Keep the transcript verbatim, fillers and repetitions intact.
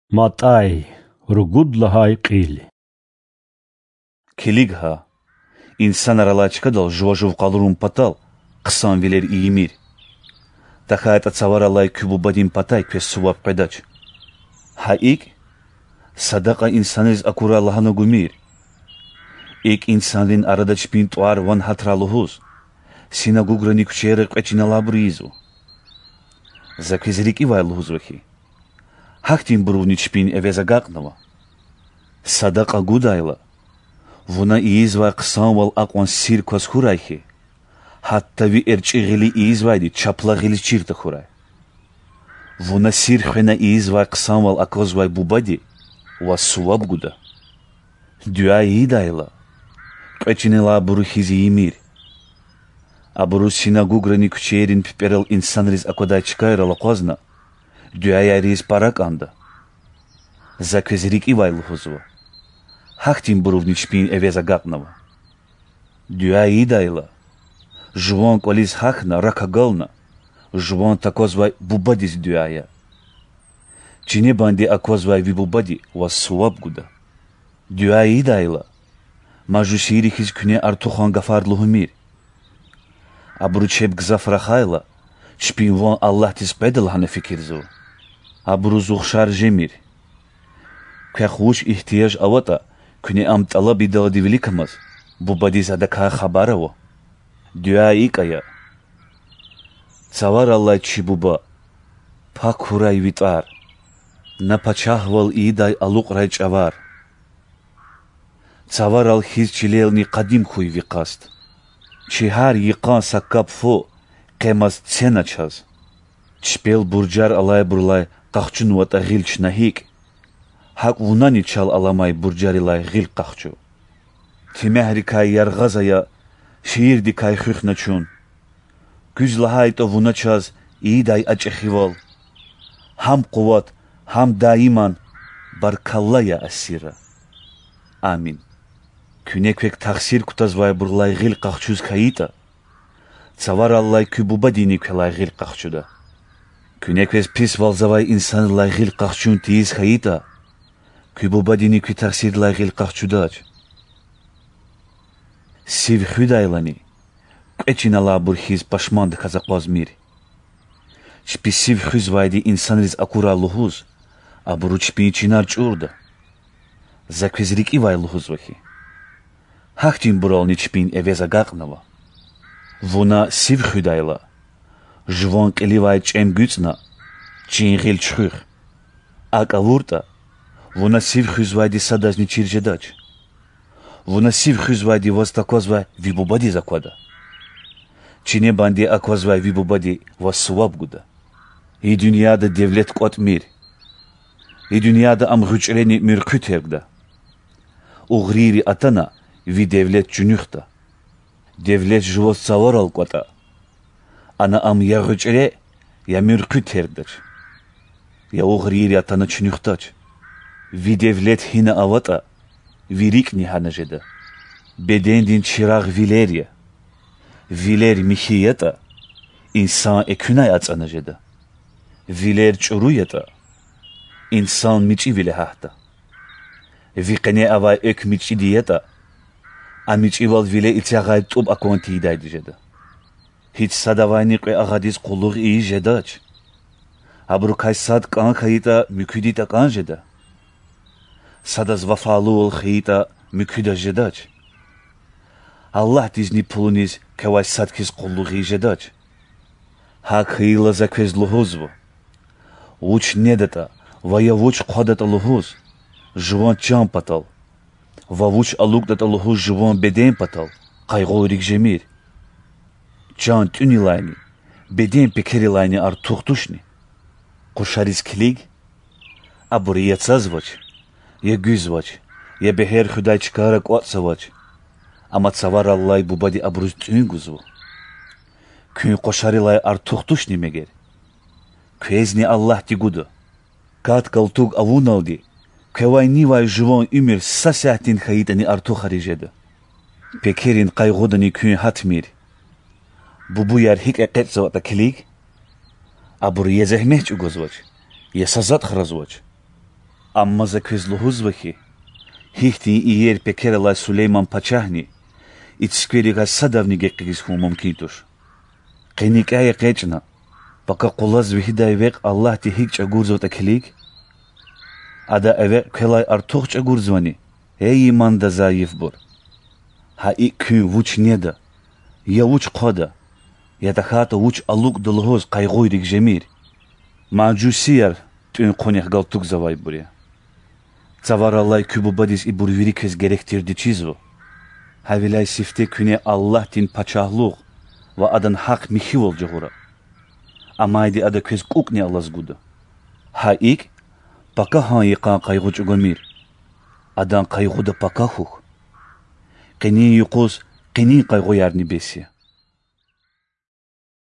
Матӏай, ругуд лагьай кьил. Килиг гьа, инсанар алай чкадал жува жув къалурун патал хъсанвилер ийимир. ТахьайтӀа Цавараллай куь Бубадин патай квез суваб къведач. Гьа икӀ, садакьа инсанриз акурай лагьана гумир. ИкӀ инсанрин арада чпин тӀвар-ван гьатрай лугьуз, синагуграни куьчейра кьве чин алайбур ийизва. За квез рикӀивай лугьузва хьи, гьахьтинбурувни чпин эвез агакьнава. Садакьа гудайла, вуна ийизвай хъсанвал акьван сир кваз хьурай хьи, гьатта ви эрчӀи гъили ийизвайди чапла гъилиз чир тахьурай. Вуна сир хвена ийизвай хъсанвал аквазвай Бубади ваз суваб гуда. Дуьа ийидайла, кьве чин алайбуру хьиз ийимир. Абуру синагуграни куьчейрин пипӀерал инсанриз аквадай чкайрал акъвазна, дуьаяр ийиз пара кӀанда. За квез рикӀивай лугьузва, гьахьтинбурувни чпин эвез агакьнава. Дуьа ийидайла, жуван кӀвализ гьахьна, рак агална, жуван таквазвай Бубадиз дуьа ая. Чинебанди аквазвай ви Бубади ваз суваб гуда. Дуьа ийидайла, мажусийри хьиз куьне артухан гафар лугьумир. Абуру чеб гзаф рахайла, чпин ван Аллагьдиз къведа лагьана фикирзава. Абуруз ухшар жемир. Квехъ вуч игьтияж аватӀа, куьне ам тӀалаб ийидалди виликамаз, Бубадиз адакай хабар ава. Дуьа икӀ ая: Цавараллай чи Буба, пак хьурай ви тӀвар, на пачагьвал ийидай алукьрай чӀавар. Цаварал хьиз чилелни къадим хьуй ви къаст. Чи гьар йикъан са кап фу къемаз цена чаз. Чпел буржар алайбурулай къахчунватӀа гъил чна гьикӀ, гьакӀ вунани чал аламай буржарилай гъил къахчу. Темягьрикай яргъаз ая, шийирдикай хуьхьна чун. Куьз лагьайтӀа вуна чаз ийидай а чӀехивал, гьам къуват, гьам даиман, баркалла, я Асира. Амин. Куьне квек тахсир кутазвайбурулай гъил къахчуз хьайитӀа, Цавараллай куь Бубадини квелай гъил къахчуда. Куьне квез писвалзавай инсанрилай гъил къахчун тийиз хьайитӀа, куь Бубадини куь тахсирдилай гъил къахчудач. Сив хуьдайлани, кьве чин алайбур хьиз пашмандаказ акъвазмир. Чпи сив хуьзвайди инсанриз акурай лугьуз, абуру чпин чинар чӀурда. За квез рикӀивай лугьузва хьи, гьахьтинбурални чпин эвез агакьнава. Вуна сив хуьдайла, жуван кьиливай чӀем гуьцӀна, чин гъил чуьхуьх. АкӀ авуртӀа, вуна сив хуьзвайди садазни чир жедач. Вуна сив хуьзвайди ваз таквазвай ви Бубадиз аквада. Чинебанди аквазвай ви Бубади ваз суваб гуда. И дуьньяда девлет кӀватӀмир. И дуьньяда ам гъуьчӀрени муьрхъуь тергда. Угърийри атана, ви девлет чуьнуьхда. Девлет жуваз цаварал кӀватӀа, ана ам я гъуьчӀре, я муьрхъуь тергдач. Я угърийри атана, чуьнуьхдач. Ви девлет гьина аватӀа, ви рикӀни гьана жеда. Бедендин чирагъ вилер я. Вилер михьи ятӀа, инсан экуьнай ацӀана жеда. Вилер чӀуру ятӀа, инсан мичӀивиле гьатда. Ви къене авай экв мичӀиди ятӀа, а мичӀивал виле эцягъай тӀуб акван тийидайди жеда. Гьич садавайни кьве агъадиз къуллугъ ийиз жедач. Абурукай сад кӀан хьайитӀа, муькуьди такӀан жеда. Садаз вафалувал хьайитӀа, муькуьдаз жедач. Аллагьдизни пулуниз квевай сад хьиз къуллугъ ийиз жедач. ГьакӀ хьайила, за квез лугьузва: вуч недатӀа ва я вуч хъвадатӀа лугьуз жуван чан патал, ва вуч алукӀдатӀа лугьуз жуван беден патал къайгъуйрик жемир. Чан тӀуьнилайни, беден пекерилайни артух тушни? Къушариз килиг: абур я цазвач, я гуьзвач, я бегьер хуьдай чкайра кӀватӀзавач, амма Цавараллай Бубади абуруз тӀуьн гузва. Куьн къушарилай артух тушни мегер? Квезни Аллагьди гуда. Кат-калтуг авуналди квевай нивай жуван уьмуьр са сятдин хьайитӀани артухариз жеда. Пекерин къайгъудани куьн гьатмир. Бубуяр гьикӀ экъечӀзаватӀа килиг: абур я зегьмет чӀугвазвач, я са затӀ хразвач. Амма За квез лугьузва хьи, гьихьтин иер пекер алай Сулейман пачагьни и цуькверикай садавни гекъигиз хьун мумкин туш. Къе никӀяй экъечӀна, пака къулаз вегьидай векь Аллагьди гьикӀ чӀагурзаватӀа килиг? Ада а векь квелай артух чӀагурзавани, эй иманда зайифбур? Гьа икӀ куьн вуч неда, я вуч хъвада, я тахьайтӀа вуч алукӀда лугьуз къайгъуйрик жемир. Мажусияр тӀуьн-хъунихъ галтугзавайбур я. Цавараллай куь бубадиз ибур вири квез герек тирди чизва. Гьавиляй сифте куьне Аллагьдин пачагьлугъ ва адан гьахъ михьивал жагъура. Амайди ада квез кӀукӀни алаз гуда. Гьа икӀ, пакагьан йикъан къайгъу чӀугвамир, адан къайгъуда пака хьухь. Къенин юкъуз къенин къайгъуярни бес я.